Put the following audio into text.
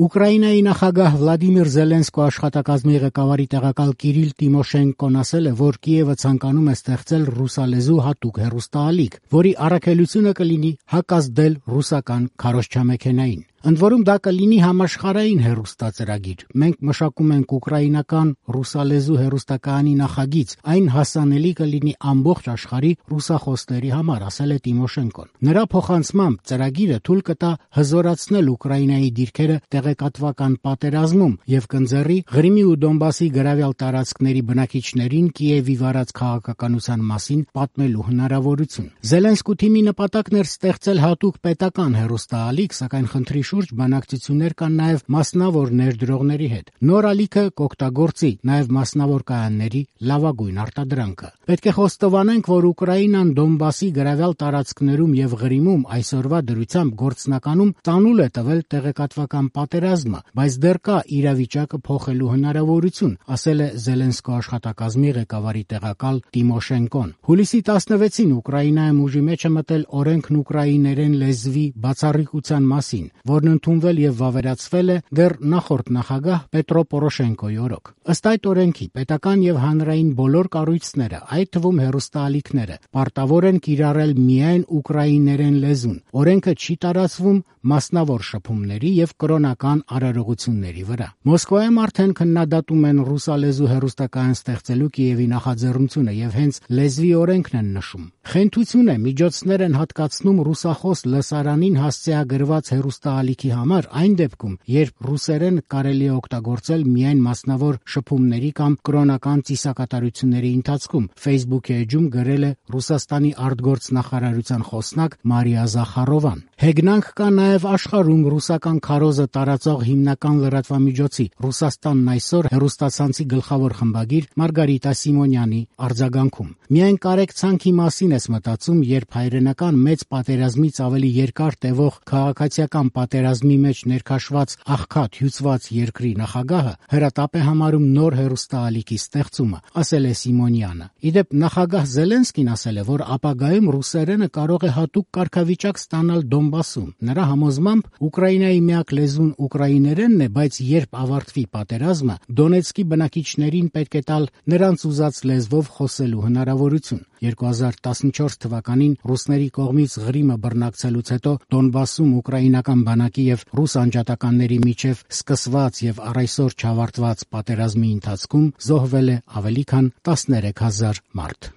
Ուկրաինայի նախագահ Վլադիմիր Զելենսկու աշխատակազմի ղեկավարի տեղակալ Կիրիլ Տիմոշենկոն ասել է, որ Կիևը ցանկանում է ստեղծել ռուսալեզու հատուկ հեռուստաալիք, որի առաքելությունը կլինի հակազդել ռուսական քարոզչամեքենային։ Ընդ որում դա կլինի համաշխարհային հեռուստածրագիր։ Մենք մշակում ենք ուկրաինական ռուսալեզու հեռուստակայանի նախագիծ, այն հասանելի կլինի ամբողջ աշխարհի ռուսախոսների համար, ասել է Տիմոշենկոն։ Նրա փոխանցմամբ ծրագիրը թույլ կտա հզորացնել Ուկրաինայի դիրքերը տեղեկատվական պատերազմում եւ կընձեռի Ղրիմի ու Դոնբասի գրավյալ տարածքների բնակիչներին Կիևի վարած քաղաքականության մասին պատմելու հնարավորություն։ Զելենսկու թիմի նպատակն էր ստեղծել հատուկ պետական հեռուստաալիք, սակայն խնդրի շուրջ բանակցություններ կան նաև մասնավոր ներդրողների հետ։ Նոր ալիքը կօգտագործի նաև մասնավոր կայանների լավագույն արտադրանքը։ Պետք է խոստովանենք, որ Ուկրաինան Դոնբասի գրավյալ տարածքներում եւ Ղրիմում այսօրվա դրությամբ գործնականում ծանուլ է տվել տեղեկատվական պատերազմը, բայց դեռ կա իրավիճակը փոխելու հնարավորություն, ասել է Զելենսկու աշխատակազմի ղեկավարի տեղակալ Տիմոշենկոն։ Հուլիսի 16-ին Ուկրաինայում ուժի մեջ է մտել օրենքն ուկրաիներեն լեզվի բացառիկության մասին, որն ընդունվել եւ վավերացվել է դեռ նախորդ նախագահ Պետրո Պորոշենկոյի օրոք։ Ըստ այդ օրենքի պետական եւ հանրային բոլոր կառույցները, այդ թվում հեռուստաալիքները, պարտավոր են կիրառել միայն ուկրաիներեն լեզուն։ Օրենքը չի տարածվում մասնավոր շփումների եւ կրոնական արարողությունների վրա։ Մոսկվայում արդեն քննադատում են ռուսալեզու հեռուստակայան ստեղծելու Կիևի նախաձեռնությունը եւ հենց լեզվի օրենքն են նշում։ Խենթություն է, միջոցներ են հատկացնում ռուսախոս լսարանին հասցեագրված հեռուստաալիքի համար այն դեպքում, երբ ռուսերեն կարելի է օգտագործել միայն մասնավոր շփումների կամ կրոնական ծիսակատարությունների ընթացքում, Facebook-ի էջում գրել է Ռուսաստանի արտգործնախարարության խոսնակ Մարիա Զախարովան։ Հեգնանք կա նաև աշխարհում ռուսական քարոզը տարածող հիմնական լրատվամիջոցի Ռուսաստանն այսօր հեռուստացանցի գլխավոր խմբագիր Մարգարիտա Սիմոնյանի արձագանքում։ Միայն կարեկցանքի մասին ես մտածում, երբ հայրենական մեծ պատերազմից ավելի երկար տևող քաղաքացիական պատերազմի մեջ ներքաշված աղքատ հյուծված երկրի նախագահը հրատապ է համարում նոր հեռուստաալիքի ստեղծումը, ասել է Սիմոնյանը։ Իդեպ նախագահ Զելենսկին ասել է, որ ապագայում ռուսերենը կարող է հատուկ կարգավիճակ ստանալ Դոնբասում։ Նրա համոզմամբ Ուկրաինայի միակ լեզուն ուկրաիներենն է, բայց երբ ավարտվի պատերազմը, Դոնեցկի բնակիչներին պետք է տալ նրանց ուզած լեզվով խոսելու հնարավորություն։ 2014 թվականին ռուսների կողմից Ղրիմը բռնակցելուց հետո Դոնբասում ուկրաինական բանակի եւ ռուս անջատականների միջև սկսված եւ առայսօր չավարտված պատերազմի ընթացքում զոհվել է ավելի քան 13,000 մարդ։